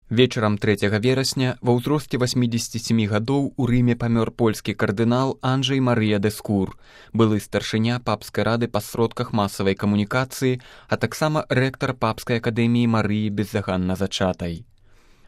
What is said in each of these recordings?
Вечарам 3 верасня ва ўзросце 87 гадоў у Рыме памёр польскі кардынал Анджэй Марыя Дэскур, былы старшыня папскай рады па сродках масавай камунікацыі, а таксама рэктар папскай акадэміі Марыі бездаганна зачатай.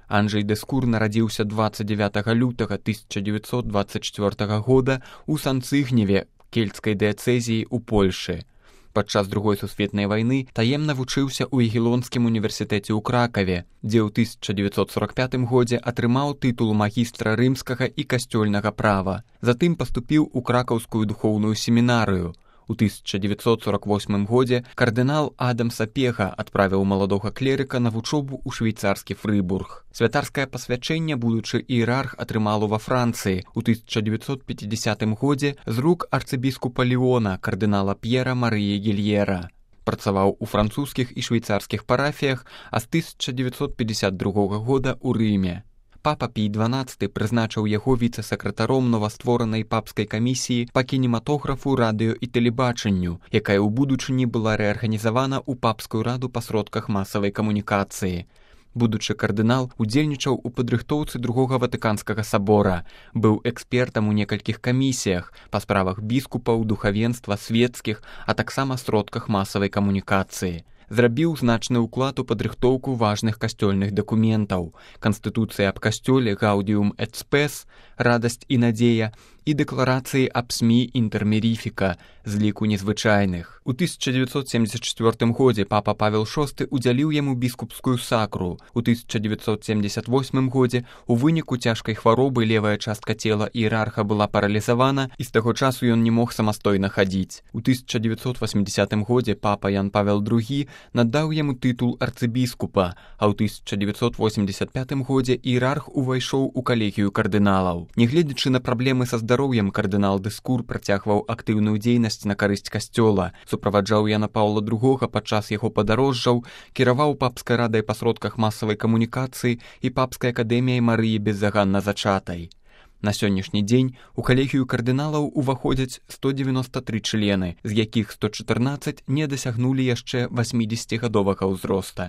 Анджэй Дэскур нарадзіўся 29 лютага 1924 года ў Санцыгневе, кельцкай дыяцэзіі ў Польшы. Падчас Другой сусветнай вайны таемна вучыўся ў Ягелонскім універсітэце ў Кракаве, дзе ў 1945 годзе атрымаў тытул магістра рымскага і касцёльнага права. Затым паступіў у кракаўскую духоўную семінарыю. У 1948 годзе кардынал Адам Сапега адправіў маладога клерыка на вучобу ў швейцарскі Фрыбург. Святарскае пасвячэнне будучы іерарх атрымаў ва Францыі у 1950 годзе з рук арцыбіскупа Леона кардынала П'ера Марыі Гільера. Працаваў у французскіх і швейцарскіх парафіях, а з 1952 года ў Рыме. Папа Пій XII прызначыў яго віцэ-сакратаром новастворанай папскай камісіі па кінематографу, радыё і тэлебачанню, якая ў будучыні была рэарганізавана ў папскую раду па сродках масавай камунікацыі. Будучы кардынал удзельнічаў у падрыхтоўцы Другога Ватыканскага сабора, быў экспертам у некалькіх камісіях па справах біскупаў, духавенства, свецкіх, а таксама сродках масавай камунікацыі. Зрабіў значны ўклад у падрыхтоўку важных касцёльных дакументаў: Канстытуцыя аб касцёле Гаўдіум эт Спэс, радасць і надзея, і дэкларацыі аб СМІ Інтэрмеріфіка з ліку незвычайных. У 1974 годзе папа Павел VI удзяліў яму біскупскую сакру. У 1978 годзе у выніку цяжкай хваробы левая частка цела іерарха была паралізавана, і з таго часу ён не мог самастойна хадзіць. У 1980 годзе папа Ян Павел II надаў яму тытул арцыбіскупа, а ў 1985 годзе іерарх увайшоў у калегію кардыналаў. Нягледзячы на праблемы са здароўем, кардынал Дэскур працягваў актыўную дзейнасць на карысць касцёла, суправаджаў Яна Паўла II падчас яго падарожжаў, кіраваў папскай радай па сродках масавай камунікацыі і папскай акадэміяй Марыі бездаганна зачатай. На сённяшні дзень у калегію кардыналаў уваходзяць 193 члены, з якіх 114 не дасягнулі яшчэ 80-гадовага ўзроста.